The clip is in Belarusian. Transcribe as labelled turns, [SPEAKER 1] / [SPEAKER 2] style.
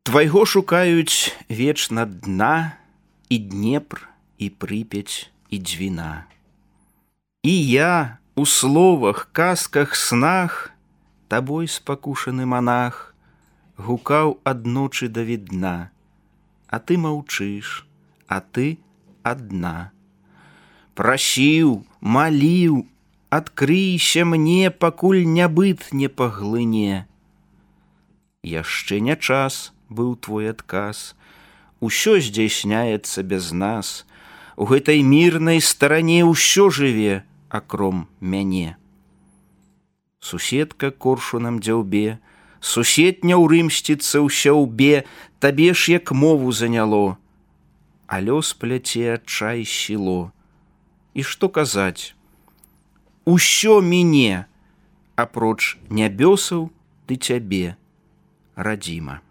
[SPEAKER 1] Твайго шукаюць вечна дна, і Днепр, і Прыпяць, і Двіна. І я у словах, казках, снах, табой спакушаны манах, гукаў адночы да відна, а ты маўчыш, а ты адна. Прасіў, маліў, адкрыйся мне, пакуль нябыт не паглыне. Яшчэ не час быў твой адказ, усё здзяйсняецца без нас, у гэтай мірнай старане ўсё жыве, акром мяне. Суседка коршунам дзяўбе, сусед няўрымсціцца ў сяўбе, табе ж як мову заняло, а лёс пляце адчай сіло. І што казаць? Усё міне, апроч нябёсаў ды цябе, радзіма.